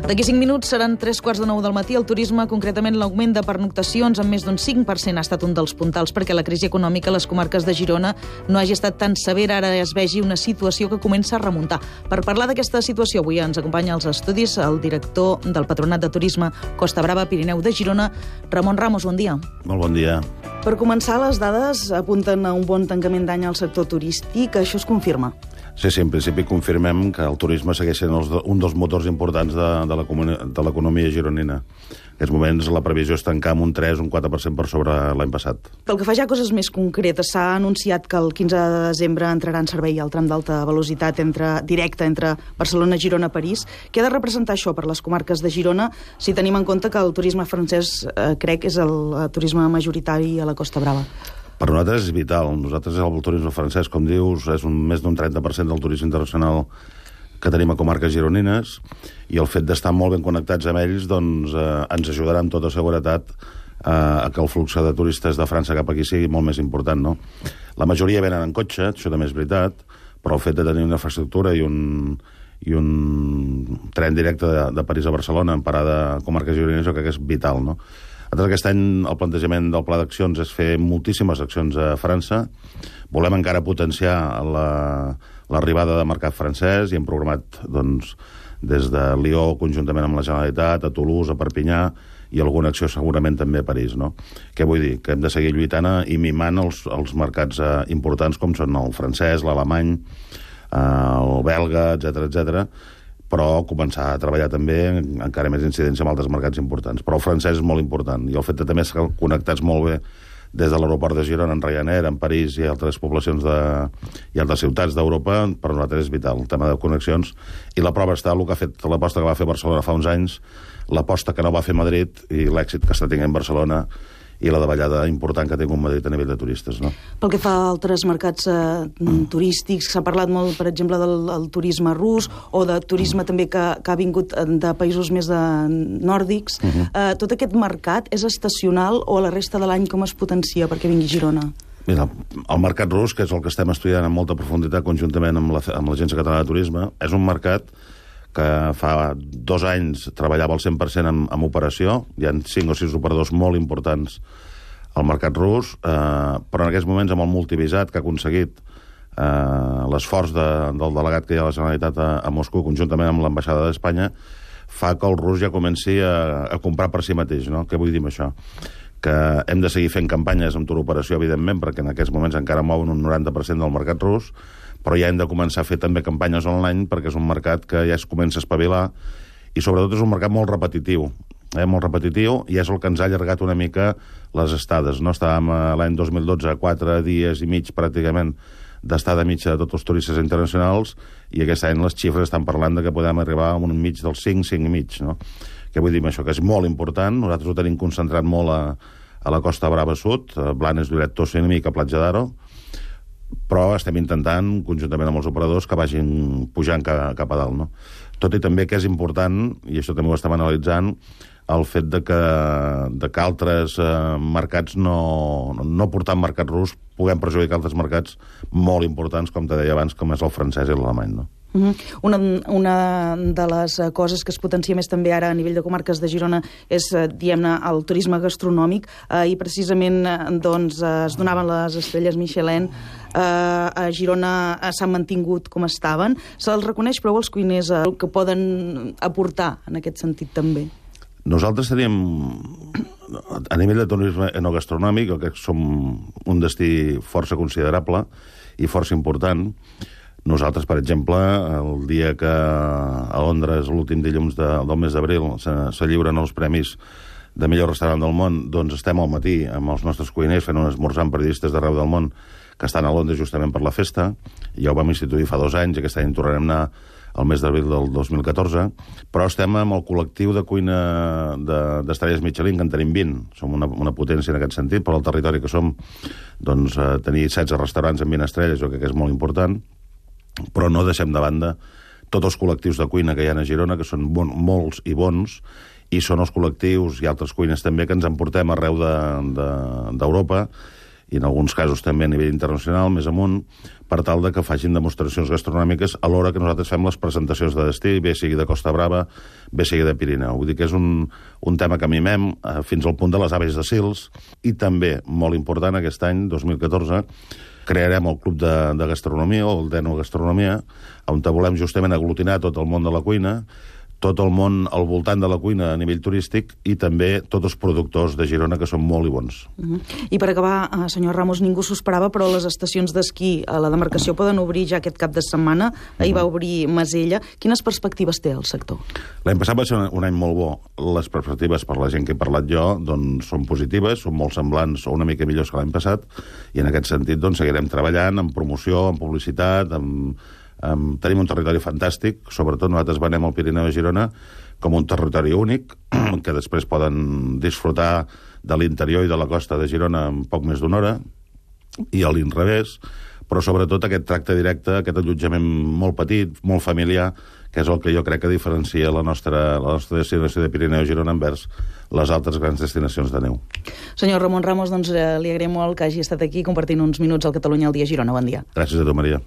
D'aquí 5 minuts seran 3:45 del matí. El turisme, concretament l'augment de pernoctacions amb més d'un 5%, ha estat un dels puntals perquè la crisi econòmica a les comarques de Girona no hagi estat tan severa. Ara es vegi una situació que comença a remuntar. Per parlar d'aquesta situació, avui ens acompanya als estudis el director del Patronat de Turisme Costa Brava Pirineu de Girona, Ramon Ramos. Bon dia. Molt bon dia. Per començar, les dades apunten a un bon tancament d'any al sector turístic. Això es confirma? Sí, en principi confirmem que el turisme segueix sent un dels motors importants de l'economia gironina. En aquests moments la previsió és tancar amb un 3 o un 4% per sobre l'any passat. Pel que fa ja a coses més concretes, s'ha anunciat que el 15 de desembre entrarà en servei el tram d'alta velocitat directe entre Barcelona, Girona i París. Què ha de representar això per les comarques de Girona, si tenim en compte que el turisme francès, crec, és el turisme majoritari a la Costa Brava? Per nosaltres és vital. Nosaltres el turisme francès, com dius, és més d'un 30% del turisme internacional que tenim a comarques gironines, i el fet d'estar molt ben connectats amb ells doncs, ens ajudarà amb tota seguretat a que el flux de turistes de França cap aquí sigui molt més important, no? La majoria venen en cotxe, això també és veritat, però el fet de tenir una infraestructura i un tren directe de París a Barcelona en parada a comarques gironines, jo crec que és vital, no? Aquest any el plantejament del pla d'accions és fer moltíssimes accions a França. Volem encara potenciar l'arribada de mercat francès i hem programat doncs, des de Lió, conjuntament amb la Generalitat, a Toulouse, a Perpinyà, i alguna acció segurament també a París, no? Què vull dir? Que hem de seguir lluitant i mimant els mercats importants com són el francès, l'alemany, el belga, etc, però començar a treballar també encara més incidència amb altres mercats importants. Però el francès és molt important, i el fet de també estar connectats molt bé des de l'aeroport de Girona, en Ryanair, en París i altres poblacions i altres ciutats d'Europa, per nosaltres és vital, el tema de connexions. I la prova està el que ha fet l'aposta que va fer Barcelona fa uns anys, l'aposta que no va fer Madrid i l'èxit que està tenint Barcelona i la davallada important que té un Madrid a nivell de turistes, no? Pel que fa a altres mercats turístics, s'ha parlat molt, per exemple, del turisme rus o de turisme també que ha vingut de països més nòrdics. Tot aquest mercat és estacional o a la resta de l'any com es potencia perquè vingui a Girona? Mira, el mercat rus, que és el que estem estudiant amb molta profunditat conjuntament amb l'Agència Catalana de Turisme, és un mercat que fa 2 anys treballava al 100% en operació. Hi ha 5 o 6 operadors molt importants al mercat rus, però en aquests moments amb el multivisat que ha aconseguit l'esforç del delegat que hi ha a la Generalitat a Moscou, conjuntament amb l'ambaixada d'Espanya, fa que el rus ja comenci a comprar per si mateix, no? Què vull dir amb això? Que hem de seguir fent campanyes amb turoperació, evidentment, perquè en aquests moments encara mouen un 90% del mercat rus, però ja hem de començar a fer també campanyes online perquè és un mercat que ja es comença a espavilar i sobretot és un mercat molt repetitiu, molt repetitiu, i és el que ens ha allargat una mica les estades, no? Estàvem l'any 2012 a 4 dies i mig pràcticament d'estada mitja de tots els turistes internacionals, i aquest any les xifres estan parlant de que podem arribar a un mig dels 5 i mig, no? Què vull dir amb això? Que és molt important. Nosaltres ho tenim concentrat molt a la Costa Brava Sud, Blanes, Lloret, Tossa i una mica Platja d'Aro, però estem intentant, conjuntament amb els operadors, que vagin pujant cap a dalt, no? Tot i també que és important, i això també ho estem analitzant, el fet de que altres mercats, no portant mercat rus, puguem perjudicar altres mercats molt importants, com te deia abans, com és el francès i l'alemany, no? Una de les coses que es potencia més també ara a nivell de comarques de Girona és, diguem-ne, el turisme gastronòmic, i precisament doncs, es donaven les estrelles Michelin. A Girona s'han mantingut com estaven. Se'ls reconeix prou els cuiners que poden aportar en aquest sentit també? Nosaltres tenim, a nivell de turisme enogastronòmic, que som un destí força considerable i força important. Nosaltres, per exemple, el dia que a Londres, l'últim dilluns del mes d'abril, se lliuren els premis de millor restaurant del món, doncs estem al matí amb els nostres cuiners fent un esmorzar amb periodistes d'arreu del món que estan a Londres justament per la festa. Ja ho vam instituir fa 2 anys, i aquest any tornarem a anar al mes d'abril del 2014, però estem amb el col·lectiu de cuina d'estrelles Michelin, que en tenim 20. Som una potència en aquest sentit, però el territori que som, doncs, tenir 16 restaurants amb 20 estrelles, jo crec que és molt important, però no deixem de banda tots els col·lectius de cuina que hi ha a Girona, que són molts i bons, i són els col·lectius i altres cuines també que ens emportem arreu d'Europa i en alguns casos també a nivell internacional, més amunt, per tal de que facin demostracions gastronòmiques a l'hora que nosaltres fem les presentacions de destí, bé sigui de Costa Brava, bé sigui de Pirineu. Vull dir que és un tema que mimem fins al punt de les aves de Sils, i també, molt important, aquest any, 2014, crearem el Club de Gastronomia, o el d'Eno Gastronomia, on volem justament aglutinar tot el món de la cuina, tot el món al voltant de la cuina a nivell turístic, i també tots els productors de Girona, que són molt i bons. I per acabar, senyor Ramos, ningú s'ho esperava, però les estacions d'esquí a la demarcació poden obrir ja aquest cap de setmana. Ahir va obrir Masella. Quines perspectives té el sector? L'any passat va ser un any molt bo. Les perspectives, per la gent que he parlat jo, doncs són positives, són molt semblants o una mica millors que l'any passat, i en aquest sentit doncs, seguirem treballant en promoció, en publicitat, tenim un territori fantàstic, sobretot nosaltres venem el Pirineu de Girona com un territori únic, que després poden disfrutar de l'interior i de la costa de Girona en poc més d'una hora, i a l'inrevés, però sobretot aquest tracte directe, aquest allotjament molt petit, molt familiar, que és el que jo crec que diferencia la nostra destinació de Pirineu de Girona envers les altres grans destinacions de neu. Senyor Ramon Ramos, doncs li agraïm molt que hagi estat aquí compartint uns minuts al Catalunya al dia Girona. Bon dia. Gràcies a tu, Maria.